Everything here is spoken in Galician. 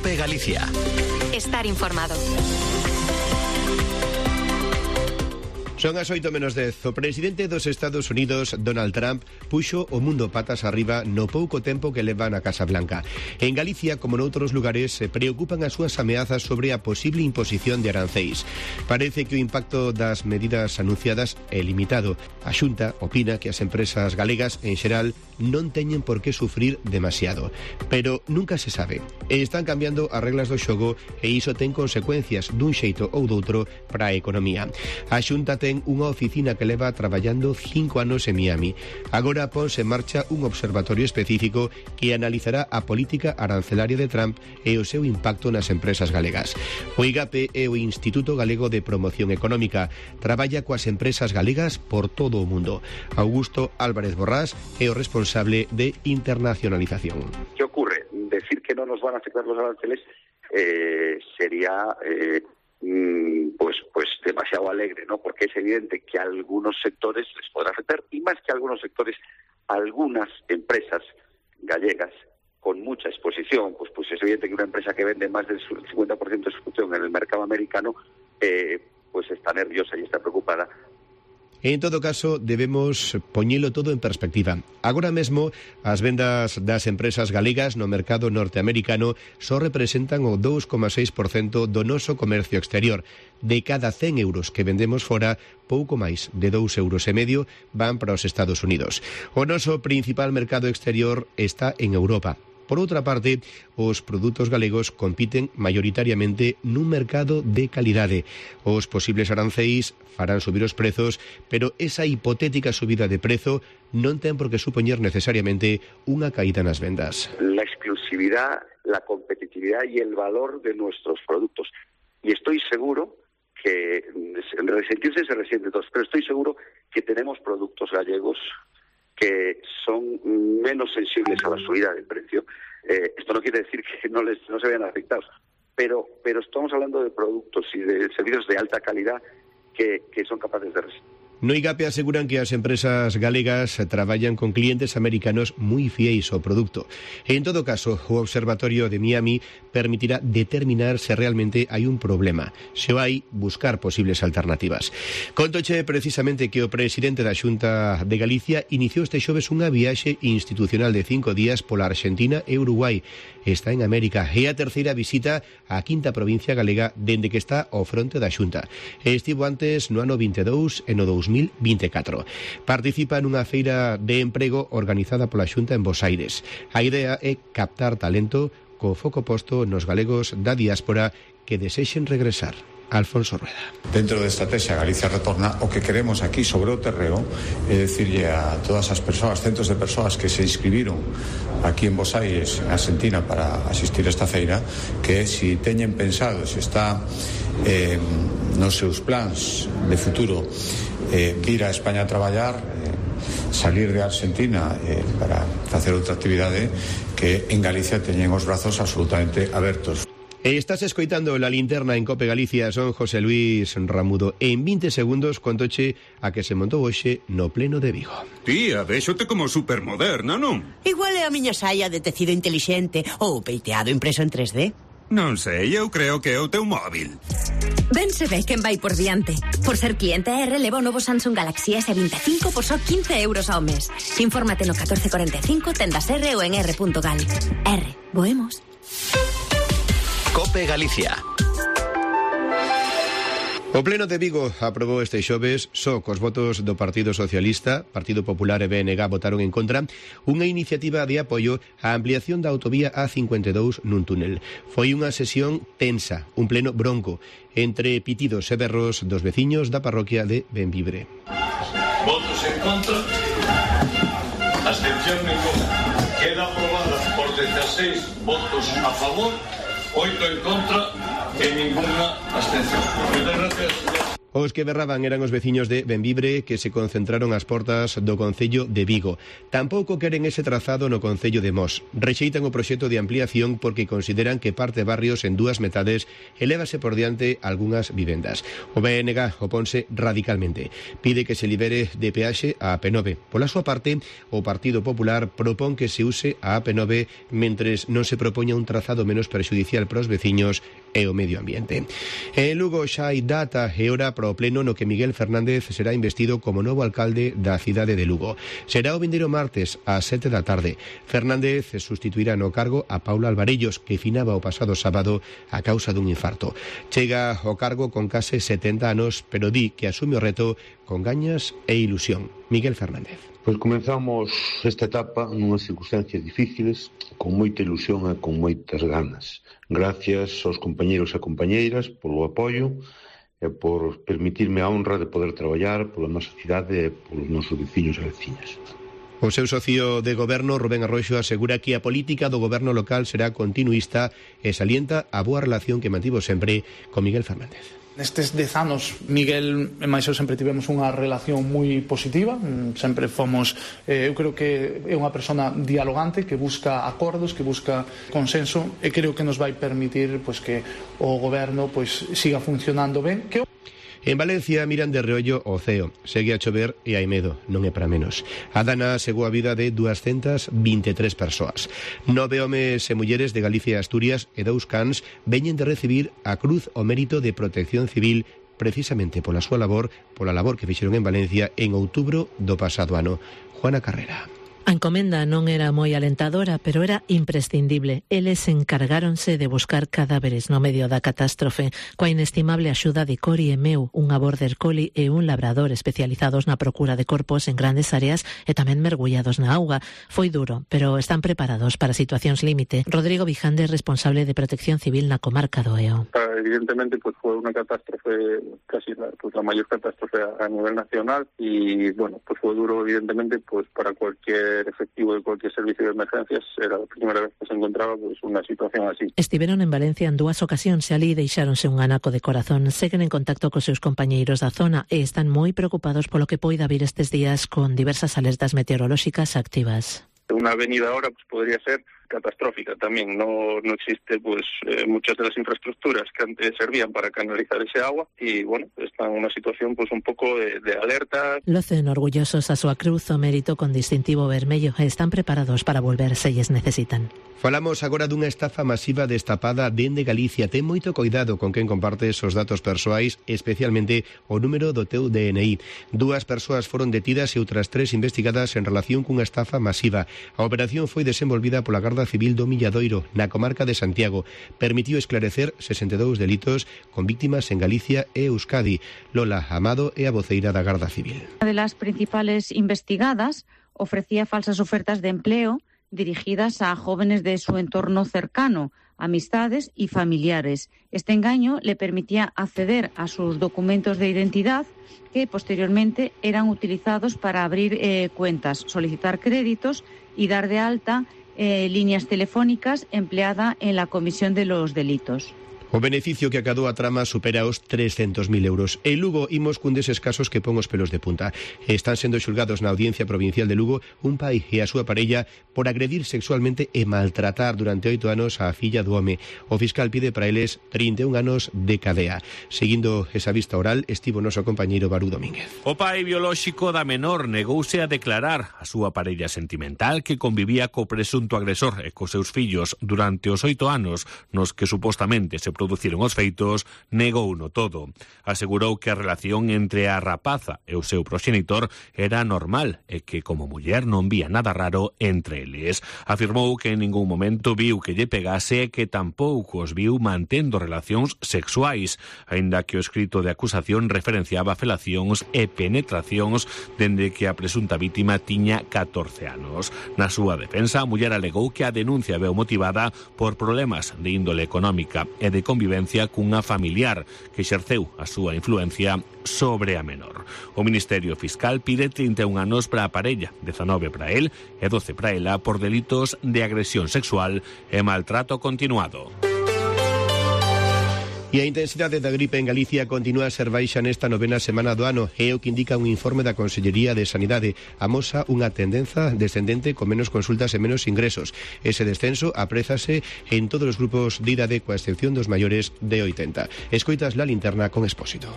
COPE Galicia. Estar informado. Son as 8:10. O presidente dos Estados Unidos, Donald Trump, puxo o mundo patas arriba no pouco tempo que leva na Casa Blanca. En Galicia, como noutros lugares, se preocupan as súas ameazas sobre a posible imposición de aranceis. Parece que o impacto das medidas anunciadas é limitado. A Xunta opina que as empresas galegas, en xeral, non teñen por que sufrir demasiado. Pero nunca se sabe. E están cambiando as reglas do xogo e iso ten consecuencias dun xeito ou doutro para a economía. A Xunta ten unha oficina que leva traballando 5 anos en Miami. Agora ponse en marcha un observatorio específico que analizará a política arancelaria de Trump e o seu impacto nas empresas galegas. O IGAPE é o Instituto Galego de Promoción Económica. Traballa coas empresas galegas por todo o mundo. Augusto Álvarez Borrás é o responsable de internacionalización. ¿Qué ocurre? Decir que no nos van a afectar los aranceles sería pues demasiado alegre, ¿no? Porque es evidente que a algunos sectores les podrá afectar, y más que a algunos sectores, algunas empresas gallegas con mucha exposición, pues es evidente que una empresa que vende más del 50% de su producción en el mercado americano, pues está nerviosa y está preocupada. En todo caso, debemos poñelo todo en perspectiva. Agora mesmo, as vendas das empresas galegas no mercado norteamericano só representan o 2,6% do noso comercio exterior. De cada 100 euros que vendemos fora, pouco máis de 2,5 euros van para os Estados Unidos. O noso principal mercado exterior está en Europa. Por outra parte, os produtos galegos compiten maioritariamente nun mercado de calidade. Os posibles aranceis farán subir os prezos, pero esa hipotética subida de prezo non ten por que supoñer necesariamente unha caída nas vendas. La exclusividad, la competitividad y el valor de nuestros productos. Y estoy seguro que resentirse se resiente todos, pero estoy seguro que tenemos productos gallegos que son menos sensibles a la subida del precio. Esto no quiere decir que no se vean afectados, pero estamos hablando de productos y de servicios de alta calidad que son capaces de resistir. No IGAPE aseguran que as empresas galegas traballan con clientes americanos moi fiéis ao produto. En todo caso, o Observatorio de Miami permitirá determinar se realmente hai un problema. Se o hai, buscar posibles alternativas. Contoche precisamente que o presidente da Xunta de Galicia iniciou este xoves unha viaxe institucional de 5 días pola Argentina e Uruguai. Está en América. É a terceira visita á quinta provincia galega dende que está ao fronte da Xunta. Estivo antes no ano 22 e no 2024. Participa nunha feira de emprego organizada pola Xunta en Bos Aires. A idea é captar talento co foco posto nos galegos da diáspora que desexen regresar. Alfonso Rueda. Dentro da estrategia Galicia Retorna, o que queremos aquí sobre o terreo é dicirlle a todas as persoas, centos de persoas que se inscribiron aquí en Bos Aires, en Argentina, para asistir a esta feira, que se teñen pensado, se está nos seus plans de futuro vir a España a traballar, salir de Argentina para facer outra actividade, que en Galicia teñen os brazos absolutamente abertos. Estás escoitando La Linterna en COPE Galicia. Son José Luis Ramudo. En 20 segundos contoche a que se montou hoxe no pleno de Vigo. Tía, véxote como supermoderna, non? Igual é a miña saia de tecido intelixente ou peiteado impreso en 3D. Non sei, eu creo que é o teu móvil. Ben se ve quen vai por diante. Por ser cliente R, leva o novo Samsung Galaxy S25 por só 15 euros ao mes. Infórmate no 1445, tendas R ou en r.gal. R, voemos. COPE Galicia. O Pleno de Vigo aprobou este xoves, só cos votos do Partido Socialista, Partido Popular e BNG votaron en contra, unha iniciativa de apoio á ampliación da autovía A52 nun túnel. Foi unha sesión tensa, un pleno bronco, entre pitidos e berros dos veciños da parroquia de Benvibre. Votos en contra, abstención ninguna. Queda aprobada por 16 votos a favor, 8 en contra e ninguna abstención. Muchas gracias. Os que berraban eran os veciños de Benvibre que se concentraron ás portas do concello de Vigo. Tampouco queren ese trazado no concello de Mos. Rexeitan o proxecto de ampliación porque consideran que parte barrios en dúas metades elévase por diante algunhas vivendas. O BNG oponse radicalmente. Pide que se libere de peaxe a AP9. Pola súa parte, o Partido Popular propón que se use a AP9 mentres non se propoña un trazado menos perxudicial para os veciños e o medio ambiente. En Lugo xa hai data e hora para o pleno no que Miguel Fernández será investido como novo alcalde da cidade de Lugo. Será o vindeiro martes ás 7 da tarde. Fernández sustituirá no cargo a Paula Alvarellos, que finaba o pasado sábado a causa dun infarto. Chega ao cargo con case 70 anos, pero di que asume o reto con gañas e ilusión. Miguel Fernández. Pois comenzamos esta etapa nunhas circunstancias difíciles, con moita ilusión e con moitas ganas. Gracias aos compañeiros e compañeiras polo apoio e por permitirme a honra de poder traballar pola nosa cidade e polos nosos veciños e veciñas. O seu socio de goberno, Rubén Arroxo, asegura que a política do goberno local será continuista e salienta a boa relación que mantivo sempre con Miguel Fernández. Nestes 10 anos, Miguel e máis eu sempre tivemos unha relación moi positiva, sempre fomos, eu creo que é unha persona dialogante que busca acordos, que busca consenso e creo que nos vai permitir pois, que o goberno pois, siga funcionando ben. En Valencia miran de reollo o ceo. Segue a chover e hai medo, non é para menos. A dana segou a vida de 223 persoas. 9 homes e mulleres de Galicia e Asturias e 2 cans veñen de recibir a Cruz ao Mérito de Protección Civil precisamente pola súa labor, pola labor que fixeron en Valencia en outubro do pasado ano. Juana Carrera. A encomenda non era moi alentadora, pero era imprescindible. Eles encargáronse de buscar cadáveres no medio da catástrofe, coa inestimable axuda de Cori e Meu, unha border collie e un labrador especializados na procura de corpos en grandes áreas e tamén mergullados na auga. Foi duro, pero están preparados para situacións límite. Rodrigo Vijande, responsable de Protección Civil na comarca do Eo. Evidentemente, pues fue una catástrofe, casi la mayor catástrofe a nivel nacional y, bueno, pues fue duro, evidentemente, pues para cualquier efectivo de cualquier servicio de emergencias. Era la primera vez que se encontraba pues una situación así. Estiveron en Valencia en 2 ocasións e alí deixáronse un anaco de corazón. Seguen en contacto cos seus compañeiros da zona e están moi preocupados polo que poida vir estes días con diversas alertas meteorolóxicas activas. Una avenida ahora pues podría ser catastrófica también. No existe pues muchas de las infraestructuras que antes servían para canalizar ese agua y bueno, están en una situación pues un poco de alerta. Locen orgullosos a súa cruz o mérito con distintivo vermello e están preparados para volver se lles necesitan. Falamos agora dunha estafa masiva destapada dende Galicia. Ten moito cuidado con quen compartes os datos persoais, especialmente o número do teu DNI. 2 persoas foron detidas e outras 3 investigadas en relación cunha estafa masiva. A operación foi desenvolvida pola Garda Civil do Milladoiro, na comarca de Santiago. Permitiu esclarecer 62 delitos con víctimas en Galicia e Euskadi. Lola Amado é a voceira da Garda Civil. Una de las principales investigadas ofrecía falsas ofertas de empleo dirigidas a jóvenes de su entorno cercano, amistades y familiares. Este engaño le permitía acceder a sus documentos de identidad que posteriormente eran utilizados para abrir cuentas, solicitar créditos y dar de alta líneas telefónicas empleada en la comisión de los delitos. O beneficio que acadou a trama supera os 300.000 euros. En Lugo imos cun deses casos que pon os pelos de punta. Están sendo xulgados na Audiencia Provincial de Lugo un pai e a súa parella por agredir sexualmente e maltratar durante 8 anos a filla do home. O fiscal pide para eles 31 anos de cadea. Seguindo esa vista oral, estivo noso compañeiro Barú Domínguez. O pai biolóxico da menor negouse a declarar a súa parella sentimental que convivía co presunto agresor e cos seus fillos durante os 8 anos nos que supostamente se produciron os feitos, negouno todo. Asegurou que a relación entre a rapaza e o seu proxenitor era normal e que como muller non vía nada raro entre eles. Afirmou que en ningún momento viu que lle pegase e que tampouco os viu mantendo relacións sexuais, aínda que o escrito de acusación referenciaba felacións e penetracións dende que a presunta vítima tiña 14 anos. Na súa defensa, a muller alegou que a denuncia veu motivada por problemas de índole económica e de convivencia cunha familiar que exerceu a súa influencia sobre a menor. O Ministerio Fiscal pide 31 anos para a parella, 19 para él e 12 para ela por delitos de agresión sexual e maltrato continuado. E a intensidade da gripe en Galicia continúa a ser baixa nesta novena semana do ano, é o que indica un informe da Consellería de Sanidade. Amosa unha tendenza descendente con menos consultas e menos ingresos. Ese descenso aprézase en todos os grupos de idade, coa excepción dos maiores de 80. Escoitas La Linterna con Expósito.